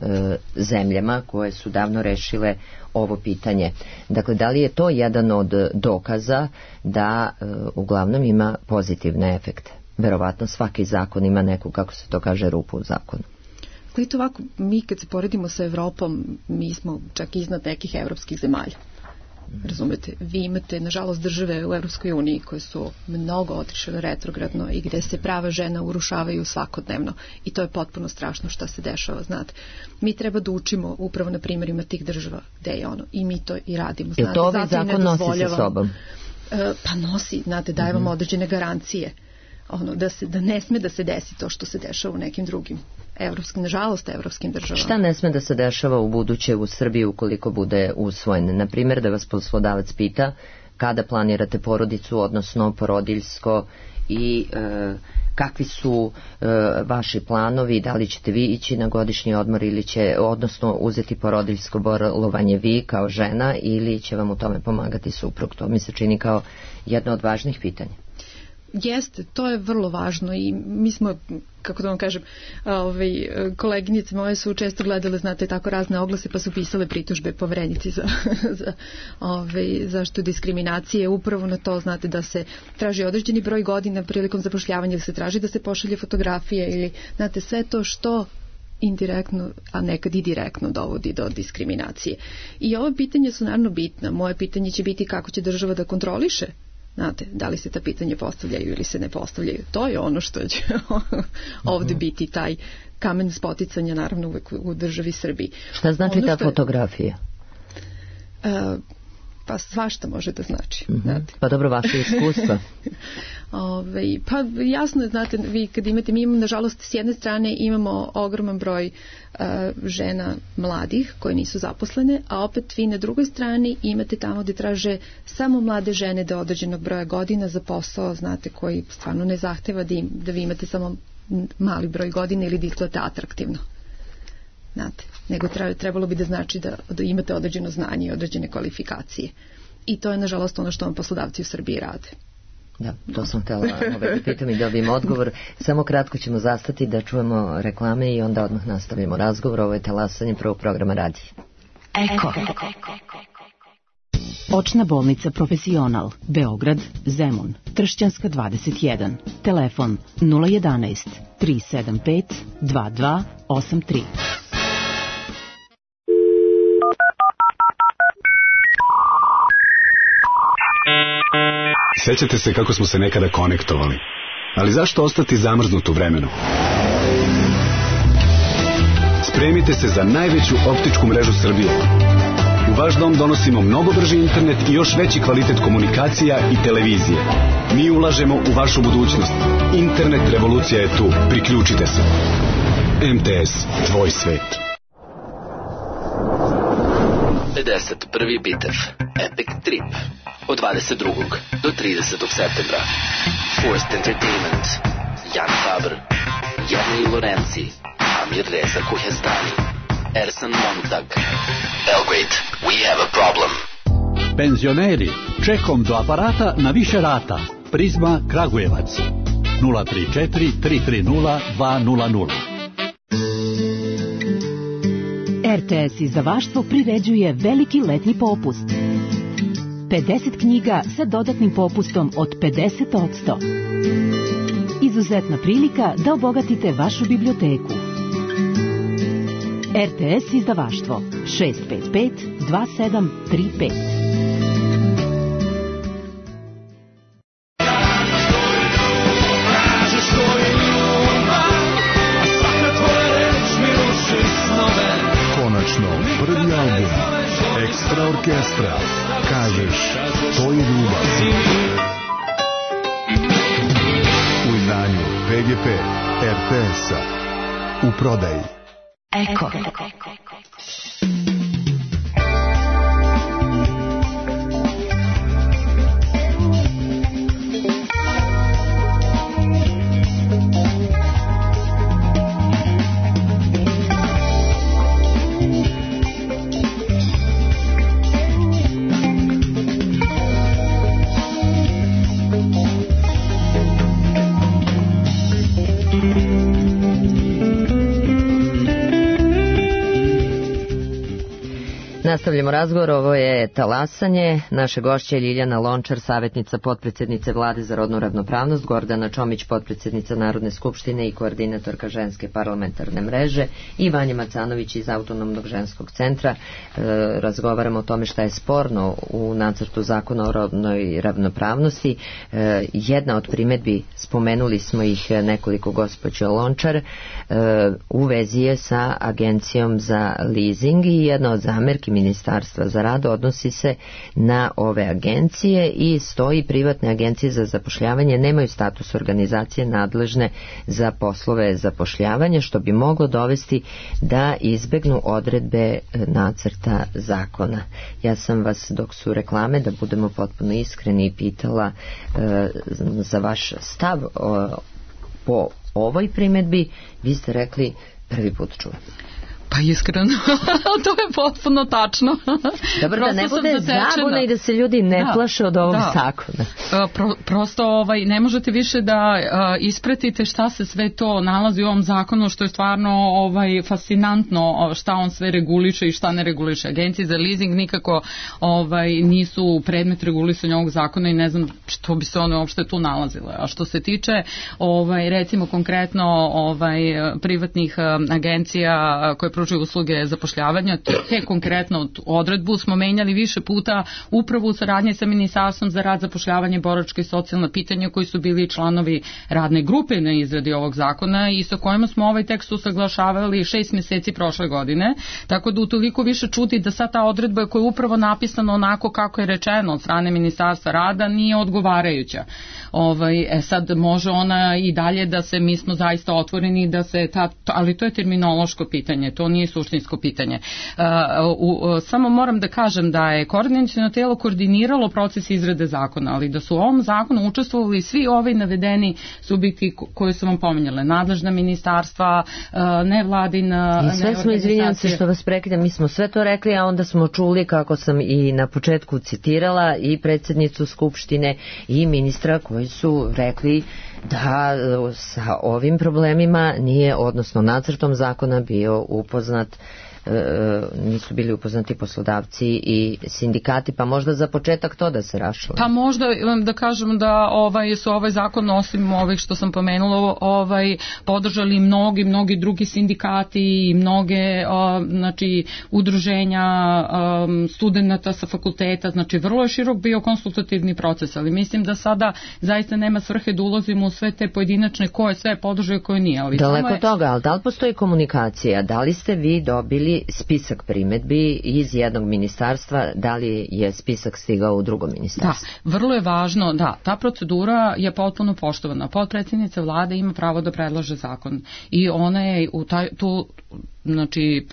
zemljama koje su davno rešile ovo pitanje. Dakle, da li je to jedan od dokaza da uglavnom ima pozitivne efekte? Verovatno svaki zakon ima neku, kako se to kaže, rupu u zakonu.
Gledajte ovako, mi kad se poredimo sa Evropom, mi smo čak iznad nekih evropskih zemalja. Razumete, vi imate nažalost države u Evropskoj uniji koje su mnogo otišle retrogradno i gde se prava žena urušavaju svakodnevno i to je potpuno strašno šta se dešava, znate. Mi treba da učimo upravo na primjerima tih država gde je ono i mi to i radimo, znate.
Je to ovaj zakon nosi sa sobom?
Pa nosi, znate, daje vam određene garancije. Da ne sme da se desi to što se dešava u nekim drugim nažalost evropskim državama.
Šta ne sme da se dešava u buduće u Srbiji ukoliko bude usvojen? Na primjer, da vas poslodavac pita kada planirate porodicu, odnosno porodiljsko, i kakvi su vaši planovi, da li ćete vi ići na godišnji odmor ili će, odnosno uzeti porodiljsko bolovanje vi kao žena ili će vam u tome pomagati suprug? To mi se čini kao jedno od važnih pitanja.
Jeste, to je vrlo važno i mi smo, kako da vam kažem, koleginice moje su često gledale, znate, tako razne oglase pa su pisale pritužbe Poverenici za zaštitu diskriminacije, upravo na to, znate, da se traži određeni broj godina prilikom zapošljavanja, da se traži da se pošalje fotografije ili, znate, sve to što indirektno, a nekad i direktno dovodi do diskriminacije. I ova pitanja su naravno bitna. Moje pitanje će biti kako će država da kontroliše, znate, da li se ta pitanja postavljaju ili se ne postavljaju. To je ono što će ovdje biti taj kamen spoticanja, naravno uvek u državi Srbiji.
Šta znači ta fotografija?
Pa svašta može da znači. Znate.
Pa dobro, vaše iskustva.
Pa jasno, znate, vi kad imate, mi imamo, nažalost, s jedne strane imamo ogroman broj žena mladih koje nisu zaposlene, a opet vi na drugoj strani imate tamo gde traže samo mlade žene do određenog broja godina za posao, znate, koji stvarno ne zahteva da vi imate samo mali broj godina ili da izgledate atraktivno. Znate, nego trebalo bi da znači da imate određeno znanje i određene kvalifikacije. I to je, nažalost, ono što vam poslodavci u Srbiji rade.
Da, to sam htjela da pitam i dobijem odgovor. Samo kratko ćemo zastati da čujemo reklame i onda odmah nastavimo razgovor. Ovo je talasanje prvog programa radija.
Eko. Očna bolnica Profesional, Beograd, Zemun, Tršćanska 21, telefon 011 375 2283.
Sećate se kako smo se nekada konektovali, ali zašto ostati zamrznut u vremenu? Spremite se za najveću optičku mrežu Srbije. U vaš dom donosimo mnogo brži internet i još veći kvalitet komunikacija i televizije. Mi ulažemo u vašu budućnost. Internet revolucija je tu. Priključite se. MTS, tvoj svet.
51. bitev Epic Trip od 22. do 30. septembra. Forced Entertainment, Jan Faber, Jernej Lorenzi, Amir Reza Kuhestani, Ersan Montag. Belgrade, we have a problem.
Penzioneri, čekom do aparata na više rata. Prizma Kragujevac 034 330 200.
RTS izdavaštvo priređuje veliki letnji popust. 50 knjiga sa dodatnim popustom od 50%. Izuzetna prilika da obogatite vašu biblioteku. RTS izdavaštvo 655 2735.
Prvi album Ekstra orkestra. Kažeš, to je ljubav. U izdanju PGP RTS-a. U prodaji.
Eko.
Nastavljamo razgovor, ovo je talasanje. Naše gošće je Ljiljana Lončar, savjetnica potpredsjednice Vlade za rodnu ravnopravnost, Gordana Čomić, potpredsjednica Narodne skupštine i koordinatorka ženske parlamentarne mreže, i Vanja Macanović iz Autonomnog ženskog centra. Razgovaramo o tome šta je sporno u nacrtu zakona o rodnoj ravnopravnosti. Jedna od primedbi, spomenuli smo ih nekoliko, gospođo Lončar, u vezi je sa agencijom za leasing, i jedna od zamerki Ministarstva za rad odnosi se na ove agencije i stoji: privatne agencije za zapošljavanje nemaju status organizacije nadležne za poslove zapošljavanja, što bi moglo dovesti da izbegnu odredbe nacrta zakona. Ja sam vas, dok su reklame, da budemo potpuno iskreni, pitala za vaš stav po ovoj primedbi. Vi ste rekli prvi put čujem.
Pa iskreno, to je potpuno tačno.
Dobro, da ne bude zabuna i da se ljudi ne plaše od ovog zakona.
Prosto ne možete više da ispratite šta se sve to nalazi u ovom zakonu, što je stvarno fascinantno, šta on sve reguliše i šta ne reguliše. Agencije za leasing nikako nisu predmet regulisanja ovog zakona i ne znam što bi se one uopšte tu nalazile. A što se tiče recimo konkretno privatnih agencija koje pružaju usluge zapošljavanja. Te konkretno odredbu smo menjali više puta upravo u saradnji sa Ministarstvom za rad, zapošljavanje, boračka i socijalna pitanja, koji su bili članovi radne grupe na izradi ovog zakona i sa kojima smo ovaj tekst usaglašavali 6 meseci prošle godine, tako da utoliko više čudi da sad ta odredba koja je upravo napisana onako kako je rečeno od strane Ministarstva rada nije odgovarajuća. Sad može ona i dalje da se, mi smo zaista otvoreni da se ali to je terminološko pitanje, to nije suštinsko pitanje. Samo moram da kažem da je koordinaciono telo koordiniralo proces izrade zakona, ali da su u ovom zakonu učestvovali svi ovi navedeni subjekti koje su vam pominjale, nadležna ministarstva, nevladina.
I sve smo, izvinjam se što vas prekidam, mi smo sve to rekli, a onda smo čuli, kako sam i na početku citirala, i predsjednicu Skupštine i ministra koji su rekli da sa ovim problemima nije, odnosno nacrtom zakona bio upoznat, nisu bili upoznati poslodavci i sindikati, pa možda za početak to da se raščlani.
Pa možda da kažem da su ovaj zakon, osim ovih što sam pomenula, podržali mnogi drugi sindikati i mnoge udruženja studenata sa fakulteta, znači vrlo je širok bio konsultativni proces, ali mislim da sada zaista nema svrhe da ulazimo u sve te pojedinačne koje sve podržaju, koje nije. Ali
daleko toga, ali da li postoji komunikacija? Da li ste vi dobili spisak primedbi iz jednog ministarstva, da li je spisak stigao u drugo ministarstvo?
Da, vrlo je važno, da, ta procedura je potpuno poštovana. Potpredsjednica vlade ima pravo da predlaže zakon i ona je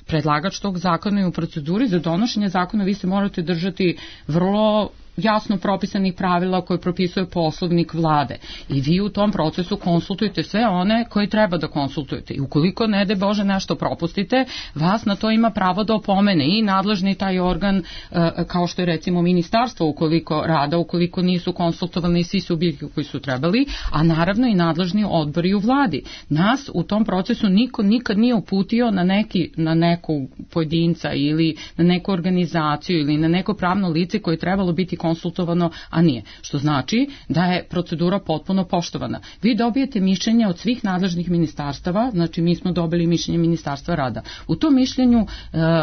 predlagač tog zakona i u proceduri za donošenje zakona vi se morate držati vrlo jasno propisanih pravila koje propisuje poslovnik vlade i vi u tom procesu konsultujete sve one koje treba da konsultujete i ukoliko ne de Bože nešto propustite, vas na to ima pravo da opomene i nadležni taj organ kao što je recimo ministarstvo ukoliko nisu konsultovani svi subjekti koji su trebali, a naravno i nadležni odbori u vladi. Nas u tom procesu niko nikad nije uputio na neku pojedinca ili na neku organizaciju ili na neko pravno lice koje je trebalo biti konsultovano, a nije. Što znači da je procedura potpuno poštovana. Vi dobijete mišljenje od svih nadležnih ministarstava, znači mi smo dobili mišljenje Ministarstva rada. U tom mišljenju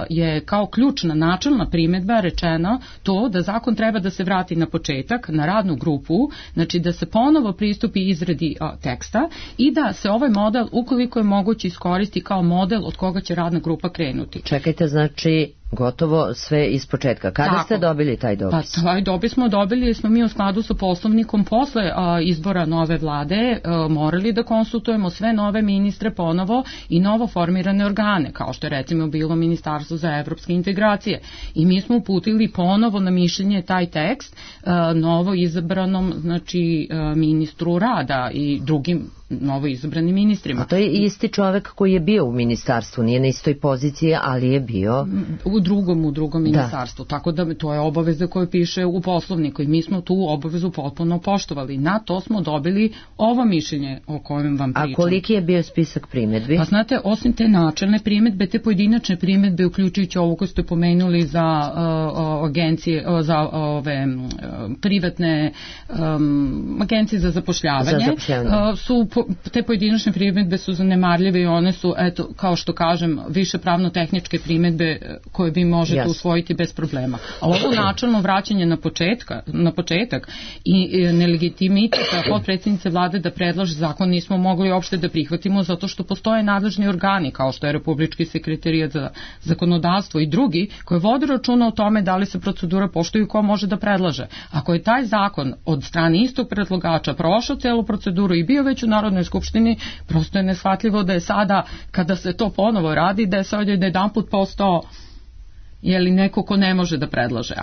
je kao ključna načelna primedba rečeno to da zakon treba da se vrati na početak, na radnu grupu, znači da se ponovo pristupi izradi teksta i da se ovaj model, ukoliko je moguće, iskoristi kao model od koga će radna grupa krenuti.
Čekajte, znači gotovo sve iz početka. Kada ste dobili taj dopis?
Pa taj dopis smo dobili jer smo mi u skladu sa poslovnikom posle izbora nove vlade morali da konsultujemo sve nove ministre ponovo i novo formirane organe, kao što je recimo bilo Ministarstvo za evropske integracije. I mi smo uputili ponovo na mišljenje taj tekst novo izabranom ministru rada i drugim novo izabranim ministrima.
A to je isti čovek koji je bio u ministarstvu, nije na istoj poziciji, ali je bio
u drugom ministarstvu, tako da to je obaveza koja piše u poslovniku i mi smo tu obavezu potpuno poštovali. Na to smo dobili ovo mišljenje o kojem vam pričam.
A koliki je bio spisak primedbi?
Pa znate, osim te načelne primedbe, te pojedinačne primedbe, uključujući ovo koje ste pomenuli za agencije, za ove privatne agencije za zapošljavanje, su te pojedinačne primedbe su zanemarljive i one su, eto, kao što kažem, više pravno-tehničke primedbe koje vi možete usvojiti bez problema. A ovo načelno vraćanje na početak i nelegitimitet potpredsjednice vlade da predlaže zakon nismo mogli uopšte da prihvatimo zato što postoje nadležni organi kao što je Republički sekretarijat za zakonodavstvo i drugi koji vode računa o tome da li se procedura poštuje i ko može da predlaže. Ako je taj zakon od strane istog predlagača prošao celu proceduru i bio već u Narodnoj skupštini, prosto je neshvatljivo da je sada, kada se to ponovo radi, da je sad jedanput postao neko ko ne može da predlaže.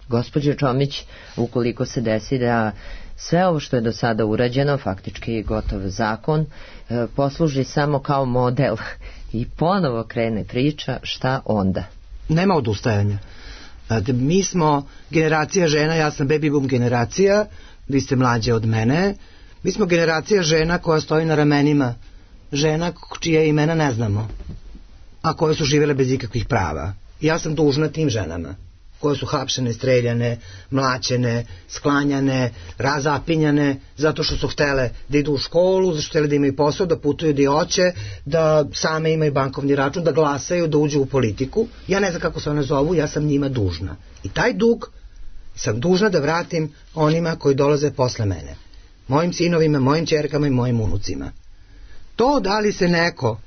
Gospođo Čomić, ukoliko se desi da sve ovo što je do sada urađeno, faktički gotov zakon, posluži samo kao model i ponovo krene priča, šta onda?
Nema odustajanja. Mi smo generacija žena, ja sam baby boom generacija, vi ste mlađe od mene. Mi smo generacija žena koja stoji na ramenima žena čije imena ne znamo, a koje su živjele bez ikakvih prava. Ja sam dužna tim ženama koje su hapšene, streljane, mlaćene, sklanjane, razapinjane, zato što su htele da idu u školu, zato što htele da imaju posao, da putuju gdje hoće, da same imaju bankovni račun, da glasaju, da uđu u politiku. Ja ne znam kako se one zovu, ja sam njima dužna. I taj dug sam dužna da vratim onima koji dolaze posle mene. Mojim sinovima, mojim ćerkama i mojim unucima. To da li se neko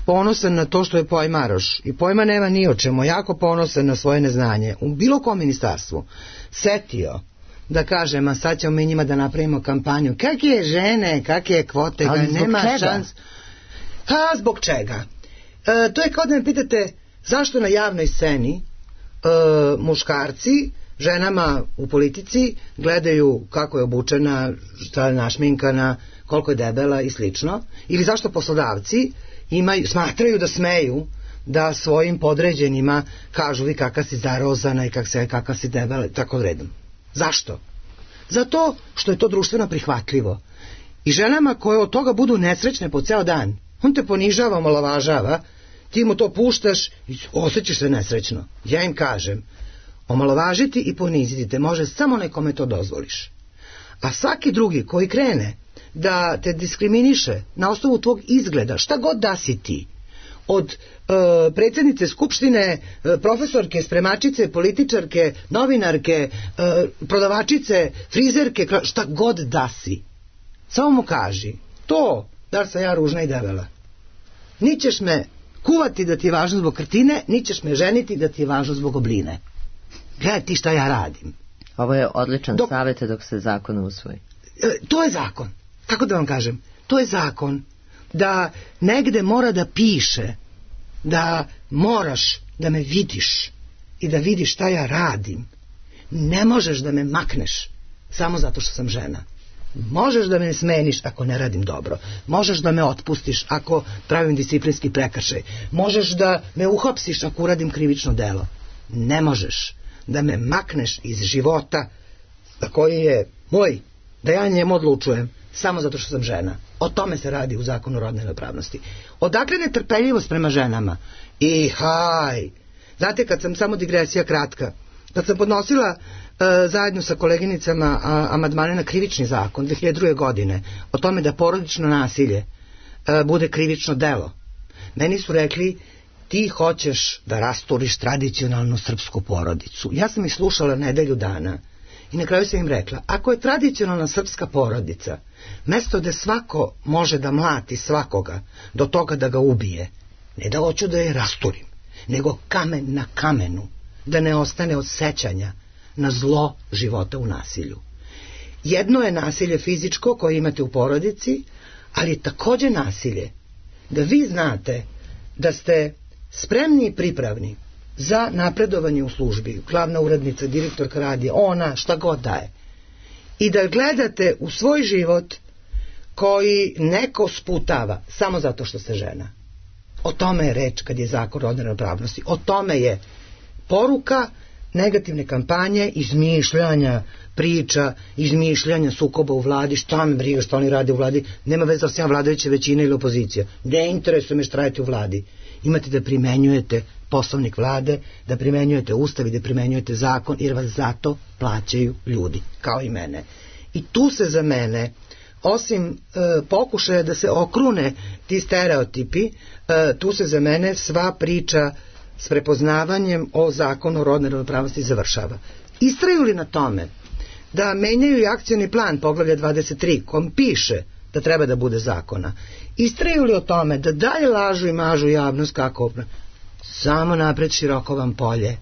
ponosan na to što je pojmaroš i pojma nema ni o čemu, jako ponosan na svoje neznanje, u bilo kom ministarstvu, setio da kaže, ma sad ćemo mi njima da napravimo kampanju, kakve žene, kakve kvote,
ali
nema
čega?
šans. Zbog čega? To je kao da me pitate zašto na javnoj sceni muškarci ženama u politici gledaju kako je obučena, šta je našminkana, koliko je debela i slično, ili zašto poslodavci smatraju da smeju da svojim podređenima kažu vi kakva si zarozana i kakva si debela, tako redom. Zašto? Zato što je to društveno prihvatljivo. I ženama koje od toga budu nesrećne po ceo dan, on te ponižava, omalovažava, ti mu to puštaš i osjećaš se nesrećno. Ja im kažem, omalovažiti i poniziti te može samo nekome to dozvoliš. A svaki drugi koji krene da te diskriminiše na osnovu tvog izgleda, šta god da si ti, od predsjednice skupštine, profesorke, spremačice, političarke, novinarke, prodavačice, frizerke, šta god da si, samo mu kaži to, da sam ja ružna i debela. Ni ćeš me kuvati da ti je važno zbog krtine, ni ćeš me ženiti da ti je važno zbog obline. Gledaj ti šta ja radim.
Ovo je odličan savjet dok se zakon usvoji.
To je zakon. Kako da vam kažem? To je zakon da negde mora da piše da moraš da me vidiš i da vidiš šta ja radim. Ne možeš da me makneš samo zato što sam žena. Možeš da me smeniš ako ne radim dobro. Možeš da me otpustiš ako pravim disciplinski prekršaj. Možeš da me uhapsiš ako uradim krivično delo. Ne možeš da me makneš iz života koji je moj, da ja njemu odlučujem samo zato što sam žena. O tome se radi u zakonu o rodnoj ravnopravnosti. Odakle netrpeljivost prema ženama? I haj! Znate, kad sam, samo digresija kratka, kad sam podnosila zajedno sa koleginicama amandmane na krivični zakon 2002. godine o tome da porodično nasilje bude krivično delo, meni su rekli ti hoćeš da rasturiš tradicionalnu srpsku porodicu. Ja sam ih slušala nedelju dana i na kraju sam im rekla, ako je tradicionalna srpska porodica mesto da svako može da mlati svakoga do toga da ga ubije, ne da hoću da je rasturim, nego kamen na kamenu, da ne ostane od sećanja na zlo života u nasilju. Jedno je nasilje fizičko koje imate u porodici, ali je takođe nasilje da vi znate da ste spremni i pripravni za napredovanje u službi, glavna urednica, direktorka radija, ona, šta god daje, i da gledate u svoj život koji neko sputava samo zato što ste žena. O tome je reč kad je zakon o rodnoj ravnopravnosti. O tome je poruka negativne kampanje, izmišljanja priča, izmišljanja sukoba u vladi, šta me briga što oni rade u vladi, nema veze da sam ja vladajuća većina ili opozicija. Ne interesuje me šta radite u vladi. Imate da primenjujete poslovnik vlade, da primenjujete ustav i da primenjujete zakon, jer vas zato plaćaju ljudi, kao i mene. I tu se za mene, osim pokušaja da se okrune ti stereotipi, tu se za mene sva priča s prepoznavanjem o zakonu o rodnoj ravnopravnosti završava. Istraju li na tome da menjaju i akcioni plan poglavlja 23 kom piše da treba da bude zakona, istraju li o tome da dalje lažu i mažu javnost kako samo napred široko vam polje,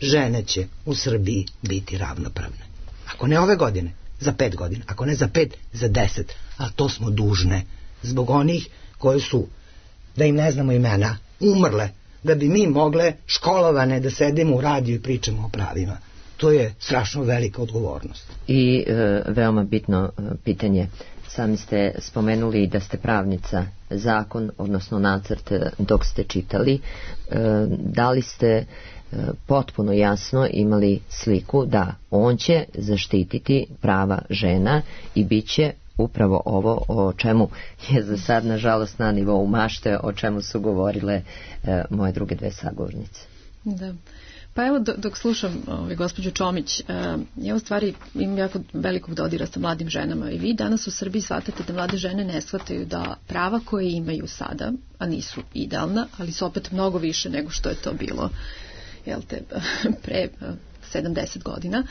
žene će u Srbiji biti ravnopravne. Ako ne ove godine, za 5 godina, ako ne za 5, za 10, a to smo dužne zbog onih koji su, da im ne znamo imena, umrle da bi mi mogle školovane da sedimo u radiju i pričamo o pravima. To je strašno velika odgovornost.
I veoma bitno pitanje. Sami ste spomenuli da ste pravnica. Zakon, odnosno nacrt, dok ste čitali, da li ste potpuno jasno imali sliku da on će zaštititi prava žena i bit će upravo ovo o čemu je za sad nažalost na nivou mašte, o čemu su govorile moje druge dve sagovornice.
Da. Pa evo dok slušam gospođu Čomić, ja u stvari imam jako velikog dodira sa mladim ženama i vi danas u Srbiji shvatate da mlade žene ne shvataju da prava koje imaju sada, a nisu idealna, ali su opet mnogo više nego što je to bilo pre 70 godina,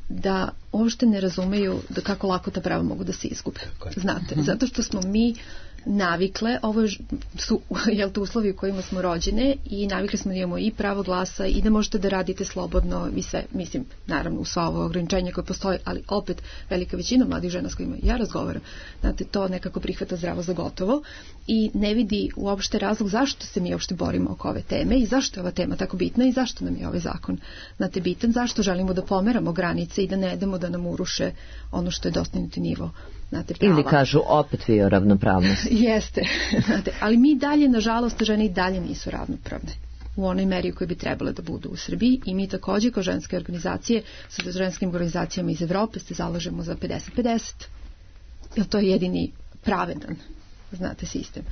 da uopšte ne razumeju da kako lako ta prava mogu da se izgube. Znate, zato što smo mi navikle, ovo su uslovi u kojima smo rođene i navikli smo da imamo i pravo glasa i da možete da radite slobodno i sve, mislim, naravno u sva ovo ograničenje koje postoji, ali opet velika većina mladih žena s kojima ja razgovaram, znate, to nekako prihvata zdravo za gotovo i ne vidi uopšte razlog zašto se mi uopšte borimo oko ove teme i zašto je ova tema tako bitna i zašto nam je ovaj zakon, znate, bitan, zašto želimo da pomeramo granice i da ne damo da nam uruše ono što je dostignuti nivo. Znate,
ili kažu opet vi o ravnopravnosti.
Jeste, znate, ali mi dalje, nažalost, žene i dalje nisu ravnopravne u onoj meri u kojoj bi trebale da budu u Srbiji i mi također kao ženske organizacije sa ženskim organizacijama iz Evrope se zalažemo za 50-50, jer to je jedini pravedan, znate, sistem.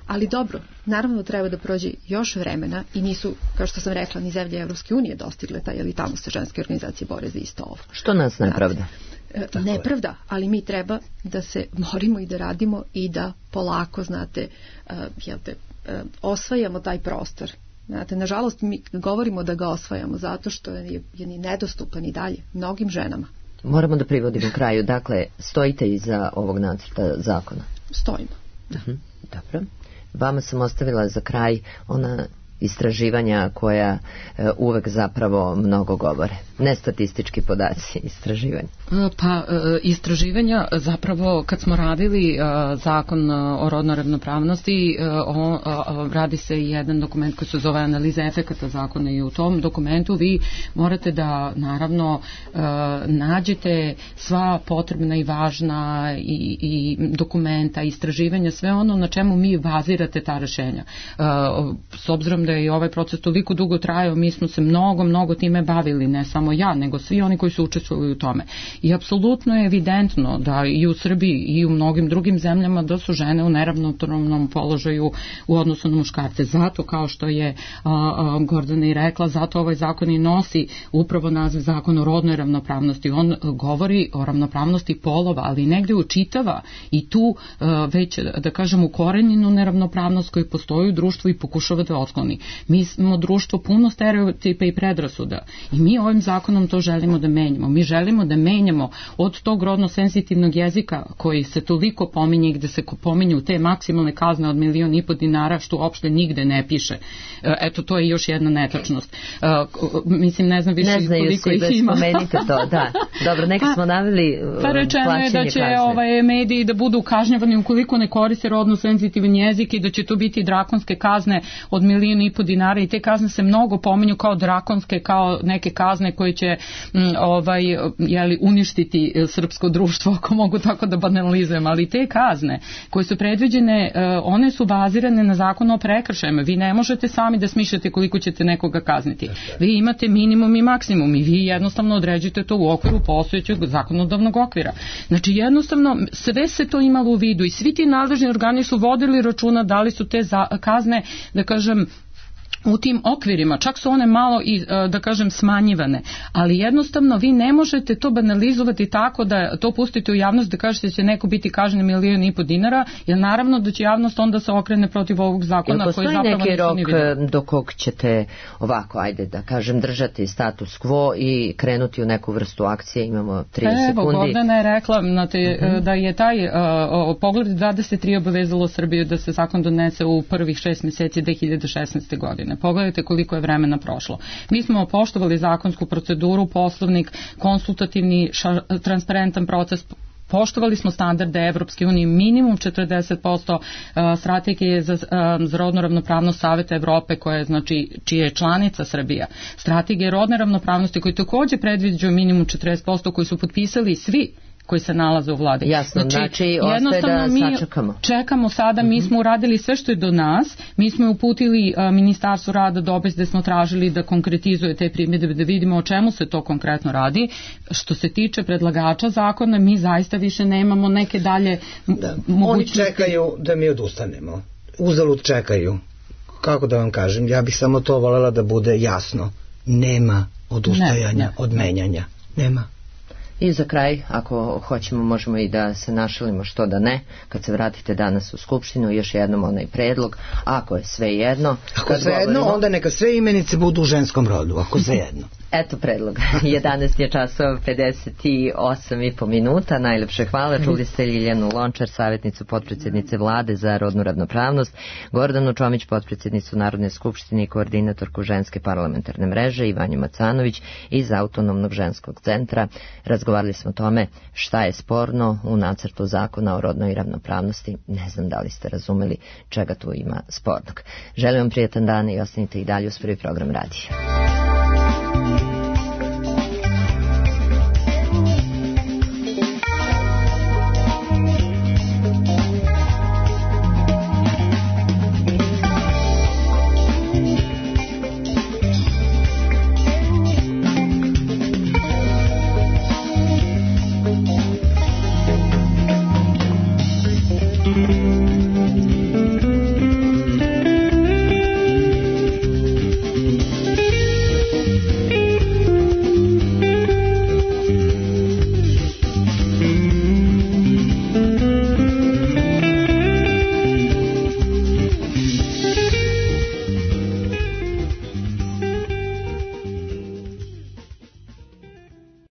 Ali dobro, naravno treba da prođe još vremena i nisu, kao što sam rekla, ni zemlje Evropske unije dostigle taj, ali tamo se ženske organizacije bore za isto ovo.
Što nas nepravda?
Nepravda, ali mi treba da se borimo i da radimo i da polako, znate, osvajamo taj prostor. Znate, nažalost mi govorimo da ga osvajamo zato što je nedostupan i dalje mnogim ženama.
Moramo da privodimo kraju. Dakle, stojite iza ovog nacrta zakona?
Stojimo, da.
Dobro. Vama sam ostavila za kraj ona istraživanja koja uvek zapravo mnogo govore. Ne statistički podaci, istraživanja.
Pa istraživanja zapravo kad smo radili zakon o rodnoj ravnopravnosti, radi se jedan dokument koji se zove analiza efekata zakona i u tom dokumentu vi morate da naravno nađete sva potrebna i važna i dokumenta, istraživanja, sve ono na čemu mi bazirate ta rešenja. S obzirom da je ovaj proces toliko dugo trajao, mi smo se mnogo time bavili, ne samo ja, nego svi oni koji su učestvovali u tome. I apsolutno je evidentno da i u Srbiji i u mnogim drugim zemljama da su žene u neravnopravnom položaju u odnosu na muškarce. Zato, kao što je Gordana i rekla, zato ovaj zakon i nosi upravo naziv zakon o rodnoj ravnopravnosti. On govori o ravnopravnosti polova, ali negde učitava i tu već, da kažem, ukorenjenu neravnopravnost koja postoji u društvu i pokušava da otkloni. Mi smo društvo puno stereotipa i predrasuda i mi ovim zakonom to želimo da menjamo. Mi želimo da menjamo od tog rodno senzitivnog jezika koji se toliko pominje i gde se pominju te maksimalne kazne od 1,5 miliona dinara što uopšte nigde ne piše. Eto, to je još jedna netačnost. Mislim, ne znam više koliko ih ima.
Ne znaju svi, spomenite to, da. Dobro, neki smo naveli
pa rečeno je da će mediji da budu kažnjavani ukoliko ne koriste rodno senzitivan jezik i da će to biti drakonske kazne od 1,5 miliona dinara i te kazne se mnogo pominju kao drakonske, kao neke kazne koje će uništiti srpsko društvo, ako mogu tako da banalizujem, ali te kazne koje su predviđene, one su bazirane na zakonu o prekršajima. Vi ne možete sami da smišljate koliko ćete nekoga kazniti. Vi imate minimum i maksimum i vi jednostavno određujete to u okviru postojećeg zakonodavnog okvira. Znači jednostavno sve se to imalo u vidu i svi ti nadležni organi su vodili računa da li su te kazne, da kažem, u tim okvirima, čak su one malo i, da kažem, smanjivane, ali jednostavno vi ne možete to banalizovati tako da to pustite u javnost da kažete da će neko biti kažnjen 1,5 miliona dinara, jer naravno da će javnost onda se okrene protiv ovog zakona koji zapravo
neki rok do kog ćete ovako, ajde da kažem, držati status quo i krenuti u neku vrstu akcije, imamo 30 sekundi.
Evo, Gordana je rekla da je taj Pogled 23 obavezalo Srbiju da se zakon donese u prvih 6 mjeseci 2016. godine. Pogledajte koliko je vremena prošlo. Mi smo poštovali zakonsku proceduru, poslovnik, konsultativni, transparentan proces, poštovali smo standarde Evropske unije, minimum 40% strategije za rodnu ravnopravnost Saveta Evrope, koja je, znači, čija je članica Srbija. Strategije rodne ravnopravnosti koji također predviđaju minimum 40%, koji su potpisali svi koji se nalaze u vladi.
Jasno, znači ostaje da sačekamo.
Čekamo sada, mi smo uradili sve što je do nas, mi smo uputili Ministarstvu rada dopis gde smo tražili da konkretizuje te primjedbe, da vidimo o čemu se to konkretno radi. Što se tiče predlagača zakona, mi zaista više nemamo neke dalje mogućnosti.
Oni čekaju da mi odustanemo. Uzalud čekaju. Kako da vam kažem, ja bih samo to voljela da bude jasno. nema odustajanja od menjanja. Nema.
I za kraj, ako hoćemo, možemo i da se našalimo, što da ne, kad se vratite danas u Skupštinu, još jednom onaj predlog, ako je sve jedno.
Ako sve jedno, onda neka sve imenice budu u ženskom rodu, ako sve jedno.
Eto predlog. 11 je časova 58,5 minuta. Najlepše hvala. Čuli ste Ljiljanu Lončar, savjetnicu potpredsjednice Vlade za rodnu ravnopravnost, Gordanu Čomić, potpredsjednicu Narodne skupštine i koordinatorku ženske parlamentarne mreže, Ivanju Macanović iz Autonomnog ženskog centra. Razgovarali smo o tome šta je sporno u nacrtu zakona o rodnoj ravnopravnosti. Ne znam da li ste razumeli čega tu ima spornog. Želim vam prijatan dan i ostanite i dalje uz prvi program radija.